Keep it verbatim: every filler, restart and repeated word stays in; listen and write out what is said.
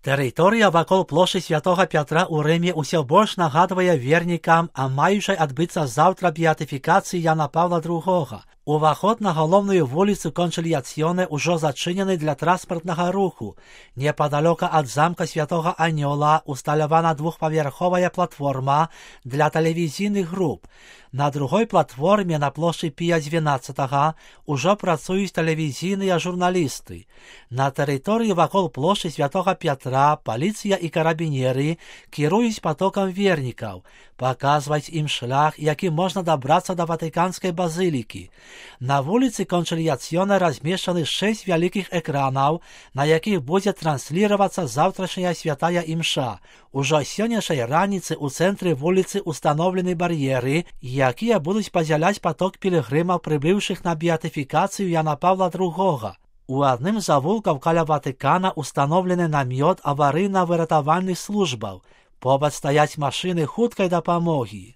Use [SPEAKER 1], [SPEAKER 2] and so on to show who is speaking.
[SPEAKER 1] Тэрыторыя вакол плошчы Святога Пятра ў Рыме ўсё больш нагадвае вернікам а маючай адбыцца заўтра беатыфікацыі Яна Паўла другога. Уваход на галоўную вуліцу Кончыльяцыёне ўжо зачынены для транспартнага руху. Непадалёка ад замка Святога Анёла усталявана двухпавярховая платформа для тэлевізійных груп. На другой платформе на плошчы Пія дванаццатага ўжо працуюць тэлевізійныя журналісты. На тэрыторыі вакол плошчы Святога Пятра паліцыя і карабінеры кіруюць потокам вернікаў, паказваць ім шлях, якім можна дабрацца да Ватыканскай базылікі. На вуліцы Кончыльяцыёне размешчаны шэсць вялікіх экранаў, на якіх будзе трансліравацца заўтрашняя святая імша. Ужо сённяшняй раніцы ў цэнтры вуліцы установлены бар'еры, якія будуць падзяляць поток пілігрымаў, прыбыўшых на беатыфікацыю Яна Паўла другога. У адным з завулкаў каля Ватыкана установлены намёт аварыйна-выратавальных службаў. Побач стаяць машыны хуткай дапамогі.